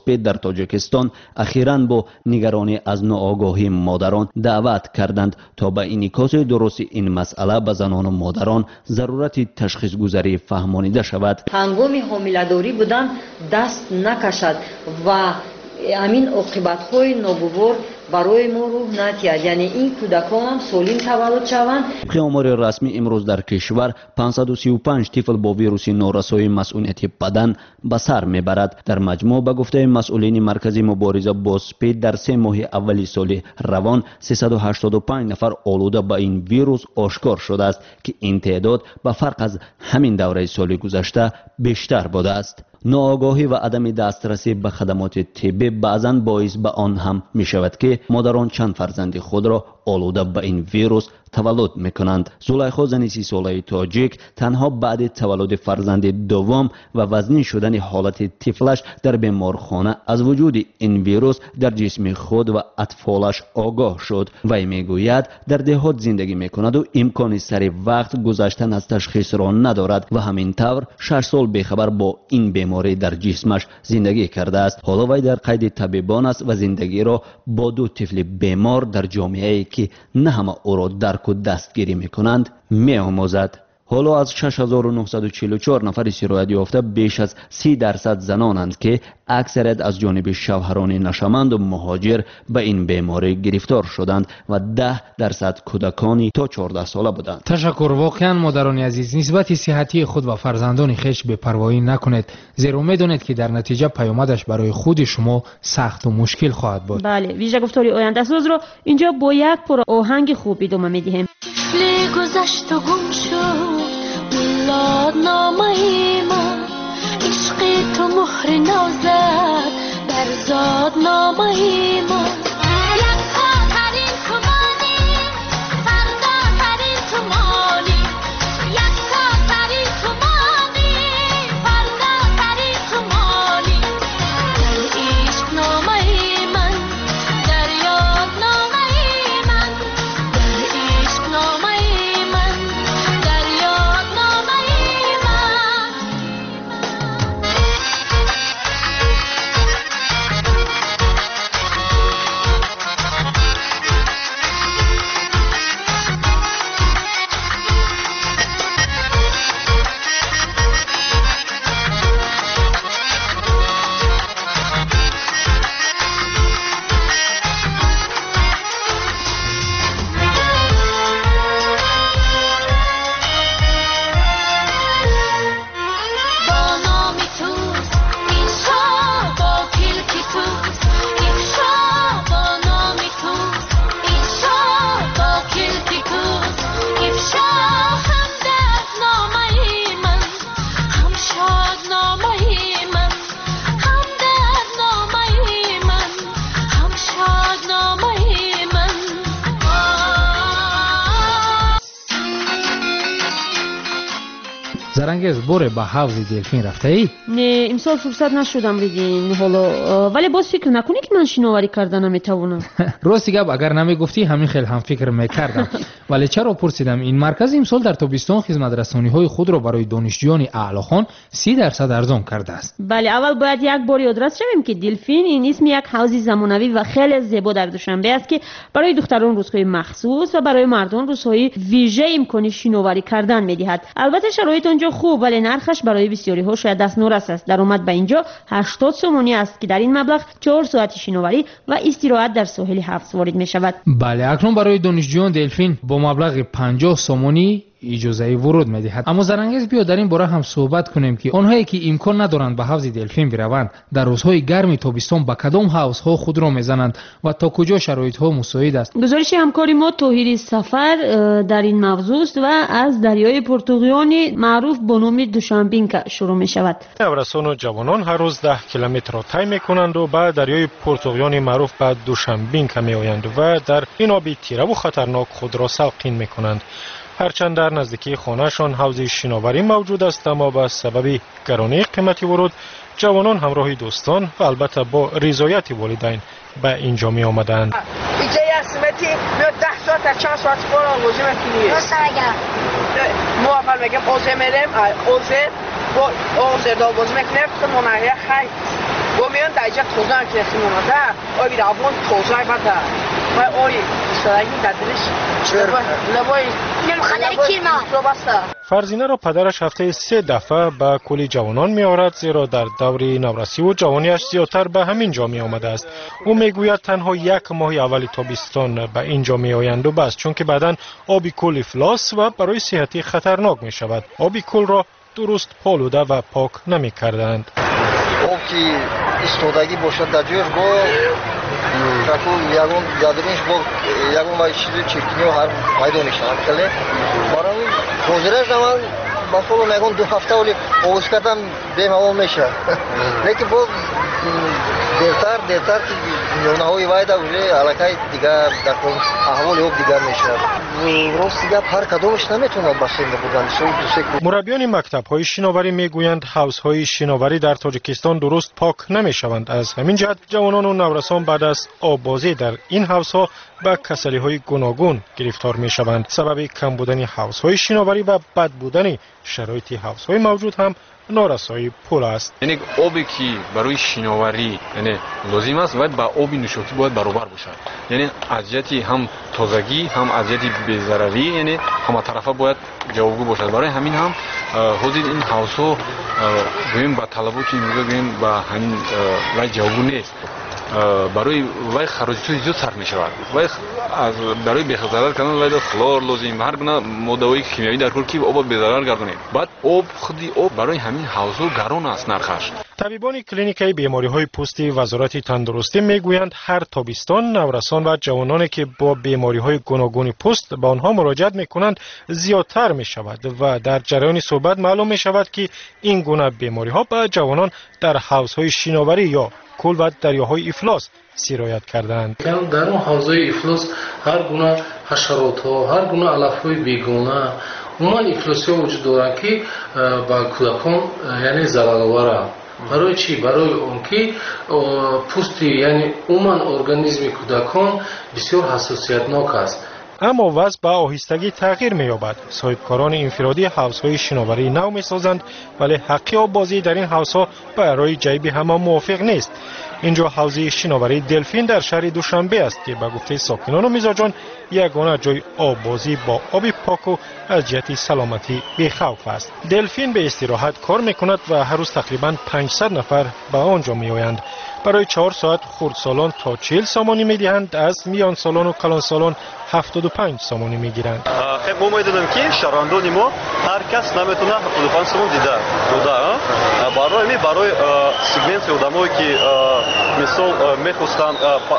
СПИД дар Тоҷикистон ахиран бо нигаронӣ аз ноогоҳии модарон даъват карданд, то ба инъикоси дурусти ин масъала ба занону модарон зарурати ташхисгузарӣ фаҳмонида шавад. Ҳангоми ҳомиладорӣ будан даст накашад ва ҳамин оқибатҳои ногувор барои мо рӯҳ надиҳад, яъне ин кӯдакон ҳам солим таваллуд шаванд. Тибқи омори расмӣ имрӯз дар кишвар 535 тифл бо вируси норасоии масъунияти бадан ба сар мебарад. Дар маҷмӯъ, ба гуфтаи масъулини маркази мубориза бо СПИД, дар 3 моҳи аввали соли равон 385 нафар олуда ба ин вирус ошкор шудааст, ки ин теъдод ба фарқ аз ҳамин давраи соли гузашта бештар будааст. Ноогоҳӣ ва адами дастрасӣ ба хадамоти тиббӣ баъзан боис ба он ҳам мешавад, ки модарон чанд фарзанди худро олуда ба ин вирус таваллуд мекунанд. Зулайхо, зани 30-солаи тоҷик, танҳо баъди таваллуди фарзанди дуввум ва вазнин шудани ҳолати тифлаш дар беморхона аз вуҷуди ин вирус дар ҷисми худ ва атфолаш огоҳ шуд. Вай мегӯяд, дар деҳот зиндагӣ мекунаду имкони сари вақт гузаштан аз ташхисро надорад ва ҳамин тавр 6 сол бехабар бо ин беморӣ дар ҷисмаш зиндагӣ кардааст. Ҳоло вай дар қайди табибон аст ва зиндагиро бо 2 тифли бемор дар ҷомеае, ки на ҳама ӯро дарку дастгирӣ мекунанд, меомӯзад. Ҳоло аз 6944 нафари сироят ёфта беш аз 30% занонанд, ки аксарият аз ҷониби шавҳарони нашаманду муҳоҷир ба ин беморӣ гирифтор шуданд ва 10% кӯдакони то 14 сола буданд. Ташаккур. Воқеан, модарони азиз, нисбати сиҳатии худ ва фарзандони хеш бепарвоӣ накунед, зеро медонед, ки дар натиҷа паёмадаш барои худи шумо сахту мушкил хоҳад буд. Бале, вижагуфтори ояндасозро инҷо бо як пора оҳанги хуб идома медиҳем. Тифле гузашту гум шуд миллатномаи ман, ишқи ту муҳри навзад бар зодномаи ман. Яккотарин тумонӣ, фардотарин тумонӣ, яккотарин тумонӣ, фардотарин тумонӣ. Дар ишқномаи ман, дар ёдномаи ман, дар ишқномаи ман, дар ёдномаи ман. Бо номи туст иншо, бо килки туст ифшо, бо номи туст иншо, бо килки туст ифшо. Ҳам дардномаи ман, ҳам шодномаи ман, ҳам дардномаи ман, ҳам шодномаи ман. Зарангез, боре ба ҳавзи Делфин рафтаӣ? Не, имсол фурсат нашудам, Ридин. Ҳоло вале боз фикр накунӣ, ки ман шиноварӣ карда наметавонам. Рости гап, агар намегуфтӣ, ҳамин хел ҳам фикр мекардам. Вале чаро пурсидам? Ин марказ имсол дар тобистон хизматрасониҳои худро барои донишҷӯёни аълохон 30% арзон кардааст. Бале, аввал бояд як бор ёдрас шавем, ки Делфин ин исми як ҳавзи замонавӣ ва хеле зебо дар Душанбе аст, ки барои духтарон рӯзҳои махсус ва барои мардон рӯзҳои вижа имкони шиноварӣ кардан медиҳад. Албатта, шароит он ҷо хуб, вале нархаш барои бисёриҳо шояд дастнорас аст. Даромад ба инҷо 80 сомонӣ аст, ки дар ин маблағ 4 соати шиноварӣ ва истироҳат дар соҳили ҳавз ворид мешавад. Бале, акнун барои донишҷӯён Делфин бо маблағи 50 сомонӣ иҷозаи вуруд медиҳад. Аммо, Зарангез, биё дар ин бора ҳам суҳбат кунем, ки онҳое, ки имкон надоранд ба ҳавзи Делфин бираванд, дар рӯзҳои гарми тобистон ба кадом ҳавзҳо худро мезананд ва то куҷо шароитҳо мусоид аст. Гузориши ҳамкори мо Тоҳири Сафар дар ин мавзӯст ва аз дарёи Пуртуғёни маъруф бо номи Душанбинка шурӯъ мешавад. Наврасону ҷавонон ҳар рӯз 10 километрро тай мекунанду ба дарёи Пуртуғёни маъруф ба Душанбинка меоянд ва дар ин оби тираву хатарнок худро салқин мекунанд. Ҳарчанд дар наздикии хонаашон ҳавзи шиноварӣ мавҷуд аст, аммо ба сабаби гаронии қимати вуруд ҷавонон ҳамроҳи дӯстон ва албатта бо ризояти волидайн ба ин ҷо меомаданд. Иҷа як смети меод, 10 соат, чанд соат бор овозӣ мекунӣ. Мо аввал мегем озе мерем, озе бо озерда овозӣ мекунем, монария хай. Бо меён дар иҷа тоза ки химонада, оби равон тоза бада. Вай ои истодагӣ дар дилиш лабои Фарзинаро падараш ҳафтаи се дафъа ба кӯли ҷавонон меорад, зеро дар даври наврасиву ҷавониаш зиёдтар ба ҳамин ҷо меомадааст. Ӯ мегӯяд, танҳо як моҳи аввали тобистон ба ин ҷо меоянду бас, чунки баъдан оби кӯл ифлос ва барои сиҳатӣ хатарнок мешавад. Оби кӯлро дуруст полуда ва пок намекарданд. Об ки истодагӣ бошад дар ҷояш, бо ягон дадрунш бо ягон вай чизи чиркиниҳо ҳар пайдо мешавад. Хеле барои ҳозираш ман ба фолом ягон 2 ҳафта оли овоз кардам, бемалол мешавад, лекин боз дертар дертар ки миёнаҳои вайда уже аллакай дигар дар аҳволи об дигар мешавад. Рости гап, ҳар кадомаш наметавонад бассейн бурдан. Мураббиёни мактабҳои шиноварӣ мегӯянд, ҳавзҳои шиноварӣ дар Тоҷикистон дуруст пок намешаванд. Аз ҳамин ҷиҳат ҷавонону наврасон баъд аз оббозӣ дар ин ҳавзҳо ба касалиҳои гуногун гирифтор мешаванд. Сабаби кам будани ҳавзҳои шиноварӣ ва бад будани шароити ҳавзҳои мавҷуд ҳам норасоии пул аст. Яъне обе ки барои шиноварӣ, яъне лозим аст, бояд ба оби нӯшокӣ бояд баробар бошад, яъне аз ҷиҳати ҳам тозагӣ, ҳам аз ҷиҳати безарарӣ, яъне ҳаматарафа бояд ҷавобгӯ бошад. Барои ҳамин ҳам ҳозир ин ҳавзҳо, гӯем, ба талаботи имрӯза, гӯем, ба ҳамин вай ҷавобгӯ нест. Барои вай хароҷотҳои зиёд сарф мешавад. Вай барои безарар кардан вай хлор лозим, ҳар гуна моддаҳои химиявӣ дар кор, ки обро безарар гардонем. Баъд об, худи об барои ҳамин ҳавзҳо гарон аст нархаш. Табибони клиникаи бемориҳои пӯсти Вазорати тандурустӣ мегӯянд, ҳар тобистон наврасон ва ҷавононе ки бо бемориҳои гуногуни пӯст ба онҳо муроҷиат мекунанд, зиёдтар мешавад ва дар ҷараёни суҳбат маълум мешавад, ки ин гуна бемориҳо ба ҷавонон дар ҳавзҳои шиноварӣ ё кӯл ва дарёҳои ифлос сироят кардаанд. Дар он ҳавзҳои ифлос ҳар гуна ҳашаротҳо, ҳар гуна алафҳои бегона, умуман ифлосиҳо вуҷуд доранд, ки ба кӯдакон, яъне, зарароваранд. Барои чӣ? Барои он ки пӯсти, яъне умуман организми кӯдакон бисёр ҳассосиятнок аст. Аммо вазъ ба оҳистагӣ тағйир меёбад. Соҳибкорони инфиродӣ ҳавзҳои шиноварии нав месозанд, вале ҳаққи оббозӣ дар ин ҳавзҳо барои ҷайби ҳама мувофиқ нест. Ин ҷо ҳавзи шиноварии Делфин дар шаҳри Душанбе аст, ки ба гуфтаи сокинону мизоҷон ягона ҷои оббозӣ бо оби поку аз ҷиҳати саломатӣ бехавф аст. Делфин бе истироҳат кор мекунад ва ҳар рӯз тақрибан 500 нафар ба он ҷо меоянд. Барои 4 соат хурдсолон то 40 сомонӣ медиҳанд, аз миёнсолону калонсолон 75 сомонӣ мегиранд. Хеб, мо медонем, ки шаҳрвандони мо ҳар кас наметавонад 75 сомон дида дода. Барои ҳамин, барои сегменти одамое ки, мисол, мехостанд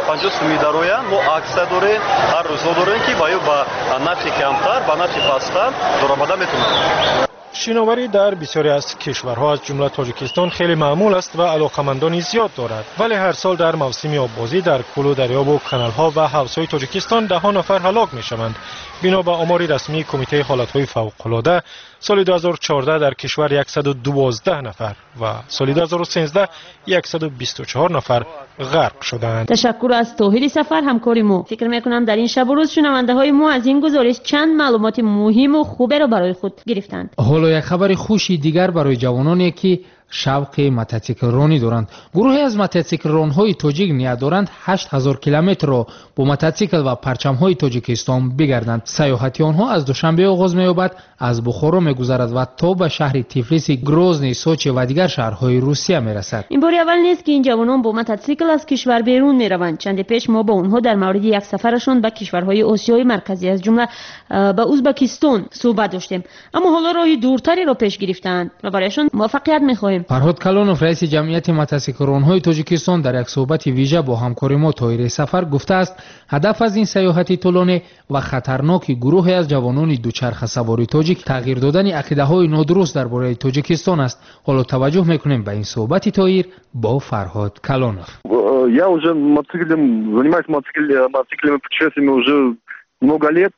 50 сумӣ дароянд, мо аксия дорем, ҳар рӯзҳо дорем, ки ба ё ба нархи камтар, ба нархи пасттар даромада метавонанд. Шиноварӣ дар бисёре аз кишварҳо, аз ҷумла Тоҷикистон, хеле маъмул аст ва алоқамандони зиёд дорад, вале ҳар сол дар мавсими оббозӣ дар кӯлу дарёбу каналҳо ва ҳавзҳои Тоҷикистон даҳҳо нафар ҳалок мешаванд. Бино ба омори расмии Кумитаи ҳолатҳои фавқулода, соли 2014 дар кишвар 112 нафар ва соли 2013 124 нафар ғарқ шудаанд. Ташаккур аз Тоҳири Сафар, ҳамкори мо. Фикр мекунам, дар ин шабу рӯз шунавандаҳои мо аз ин гузориш чанд маълумоти муҳиму хуберо барои худ гирифтанд. Ҳоло як хабари хуши дигар барои ҷавононе, ки шавқи мототсиклронӣ доранд. Гурӯҳе аз мототсиклронҳои тоҷик ният доранд 8000 километрро бо мототсикл ва парчамҳои Тоҷикистон бигарданд. Сайёҳати онҳо аз Душанбе оғоз меёбад, аз Бухоро мегузарад ва то ба шаҳри Тифлиси, Грозний, Сочи ва дигар шаҳрҳои Русия мерасад. Ин бори аввал нест, ки ин ҷавонон бо мототсикл аз кишвар берун мераванд. Чанде пеш мо бо онҳо дар мавриди як сафарашон ба кишварҳои Осиёи Марказӣ, аз ҷумла ба Узбакистон, суҳбат доштем, аммо ҳоло роҳи дуртареро пеш гирифтаанд ва барояшон муваффақият мехоҳем. Фарҳод Калонов, раиси ҷамъияти мотосиклронҳои Тоҷикистон, дар як суҳбати вижа бо ҳамкори мо Тоҳири Сафар гуфтааст, ҳадаф аз ин сайёҳати тӯлонӣ ва хатарноки гурӯҳе аз ҷавонони дучархасавори тоҷик тағйир додани ақидаҳои нодуруст дар бораи Тоҷикистон аст. Ҳоло таваҷҷӯҳ мекунем ба ин суҳбати Тоҳир бо Фарҳод Калонов. Я уже мотоциклем занимаюсь, мотоциклами, путешествиями уже много лет,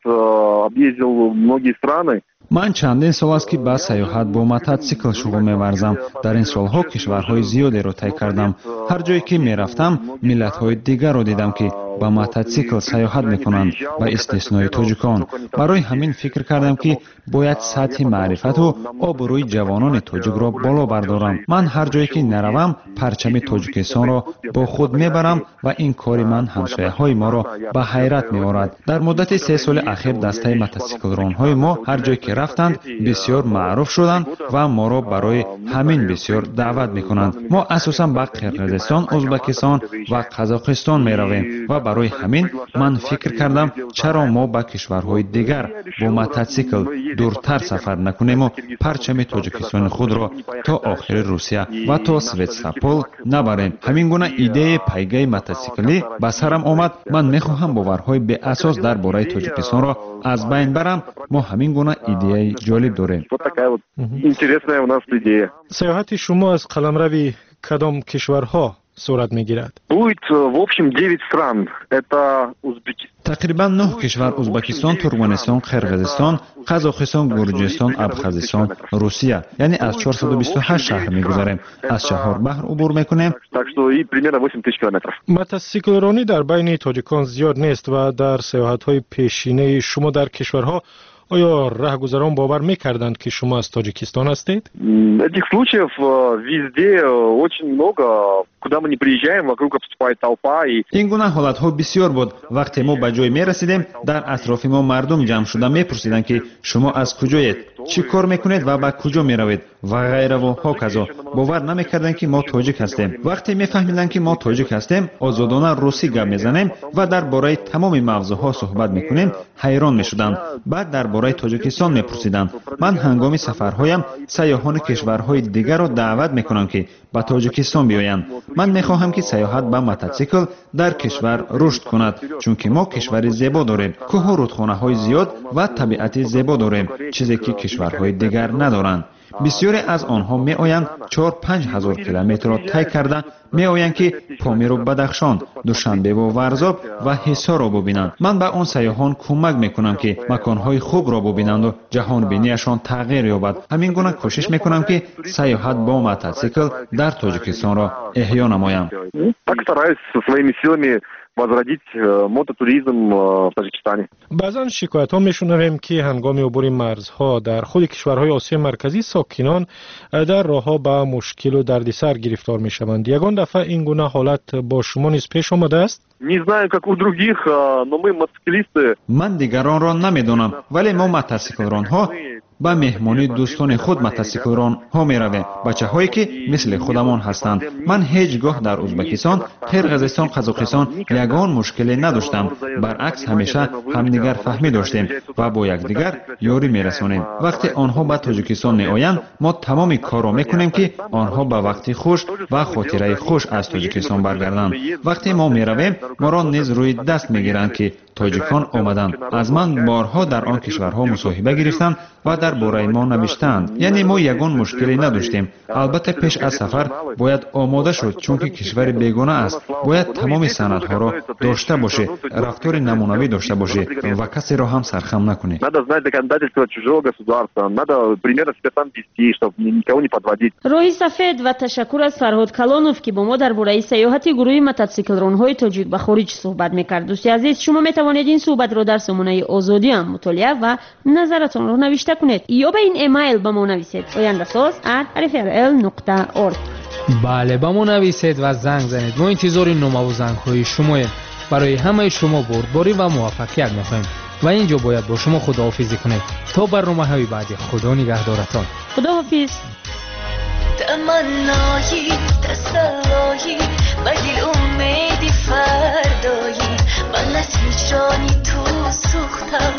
объездил многие страны. Ман чандин сол аст, ки ба сайёҳат бо мототсикл шуғл меварзам. Дар ин солҳо кишварҳои зиёдеро тай кардам. Ҳар ҷое ки мерафтам, миллатҳои дигарро дидам, ки ба мототсикл сайёҳат мекунанд, ба истиснои тоҷикон. Барои ҳамин фикр кардам, ки бояд сатҳи маърифату обрӯи ҷавонони тоҷикро боло бардорам. Ман ҳар ҷое ки наравам, парчами Тоҷикистонро бо худ мебарам ва ин кори ман ҳамсояҳои моро ба ҳайрат меорад. Дар муддати 3 соли ахир дастаи мототсиклронҳои мо ҳар ҷое ки рафтанд, бисёр маъруф шуданд ва моро барои ҳамин бисёр даъват мекунанд. Мо асосан ба Қирғизистон, Ӯзбекистон ва Қазоқистон меравем ва барои ҳамин ман фикр кардам, чаро мо ба кишварҳои дигар бо мототсикл дуртар сафар накунему парчами Тоҷикистони худро то охири Русия ва то Севастопол набарем. Ҳамин гуна идеяи пайгаи мототсиклӣ ба сарам омад. Ман мехоҳам боварҳои беасос дар бораи Тоҷикистонро аз байн барам. Мо ҳамин гуна идеяи ҷолиб дорем. Вот такая вот интересная у нас идея. Сайёҳати шумо аз қаламрави кадом кишварҳо сурат мегирад? Будет в общем 9 стран. Это Узбекистан. Тақрибан нӯҳ кишвар: Ӯзбекистон, Туркманистон, Қирғизистон, Қазоқистон, Гурҷистон, Абхазистон, Русия. Яъне аз 428 шаҳр мегузарем, аз чаҳор баҳр убур мекунем. Так что и примерно 8 тысяч километров. Мотосиклронӣ дар байни тоҷикон зиёд нест ва дар сайёҳатҳои пешинаи шумо дар кишварҳо оё раҳгузарон бовар мекарданд, ки шумо аз Тоҷикистон ҳастед? Этих случаев везде очень много. Куда мы не приезжаем, вокруг обступает толпа и Ин гуна ҳолатҳо бисёр буд. Вақте мо ба ҷой мерасидем, дар атрофи мо мардум ҷамъ шуда мепурсиданд, ки шумо аз куҷоед, чӣ кор мекунед ва ба куҷо меравед ва ғайраву ҳоказо. Бовар намекарданд, ки мо тоҷик ҳастем. Вақте мефаҳмиданд, ки мо тоҷик ҳастем, озодона русӣ гап мезанем ва дар бораи тамоми мавзӯъҳо суҳбат мекунем, ҳайрон мешуданд. Баъд дар бораи Тоҷикистон мепурсиданд. Ман ҳангоми сафарҳоям сайёҳони кишварҳои дигарро даъват мекунам, ки ба Тоҷикистон биёянд. Ман мехоҳам, ки сайёҳат ба мототсикл дар кишвар рушд кунад, чунки мо кишвари зебо дорем, кӯҳу рудхонаҳои зиёд ва табиати зебо дорем, чизе ки кишварҳои дигар надоранд. Бисёре аз онҳо меоянд, 4-5 ҳазор километрро тай карда меоянд, ки Помиру Бадахшон, Душанбеву Варзоб ва Ҳисорро бубинанд. Ман ба он сайёҳон кӯмак мекунам, ки маконҳои хубро бубинанду ҷаҳонбинияшон тағйир ёбад. Ҳамин гуна кӯшиш мекунам, ки сайёҳат бо мототсикл дар Тоҷикистонро эҳё намоям. Так стараюсь со своими силами возродить мототуризм в Таджикистане. Баъзан шикоятҳо мешунавем, ки ҳангоми убури марзҳо дар худи кишварҳои Осиёи Марказӣ сокинон дар роҳҳо ба мушкилу дардисар гирифтор мешаванд. Ягон дафъа ин гуна ҳолат бо шумо низ пеш омадааст? Не знаю, как у других, но мы, мотоциклисты. Ман дигаронро намедонам, вале мо, мотосиклронҳо, ба меҳмонии дӯстони худ мотосиклронҳо меравем, бачаҳое ки мисли худамон ҳастанд. Ман ҳеҷ гоҳ дар Ӯзбекистон, Қирғизистон, Қазоқистон ягон мушкиле надоштам. Баръакс, ҳамеша ҳамдигарфаҳмӣ доштем ва бо якдигар ёрӣ мерасонем. Вақте онҳо ба Тоҷикистон меоянд, мо тамоми корро мекунем, ки онҳо ба вақти хуш ва хотираи хуш аз Тоҷикистон баргарданд. Вақте мо меравем, моро низ рӯи даст мегиранд, ки тоҷикон омаданд. Аз ман борҳо дар он кишварҳо мусоҳиба гирифтанд ва дар бораи мо навиштаанд. Яъне мо ягон мушкиле надоштем. Албатта, пеш аз сафар бояд омода шуд, чунки кишвари бегона аст. Бояд тамоми санадҳоро дошта бошӣ, рафтори намунавӣ дошта бошӣ ва касеро ҳам сархам накунӣ. Надо знать законодательство чужого государства, надо примерно себя там вести, чтобы никого не подводить. Роҳи сафед ва ташаккур аз Фарҳод Калонов, ки бо мо дар бораи сайёҳати гурӯҳи мототсиклронҳои тоҷик ба хориҷ суҳбат мекард. Дӯсти азиз, шумо метавонед ин суҳбатро дар сомонаи Озодиам мутолиа ва назаратонро навишта кунед ё ба ин эмайл ба мо нависед: ояндасоз@rfrl.org. Бале, ба мо нависед ва занг занед. Мо интизори номаву зангҳои шумоем. Барои ҳамаи шумо бурдборӣ ва муваффақият мехоҳем ва ин ҷо бояд бо шумо худоҳофизӣ кунем. То барномаҳои баъдӣ, Худо нигаҳдоратон. Худоҳофиз. Таманнои, тасаллои, ба дил умеди фардоӣ. Ман аз ҳиҷрони ту сӯхтам.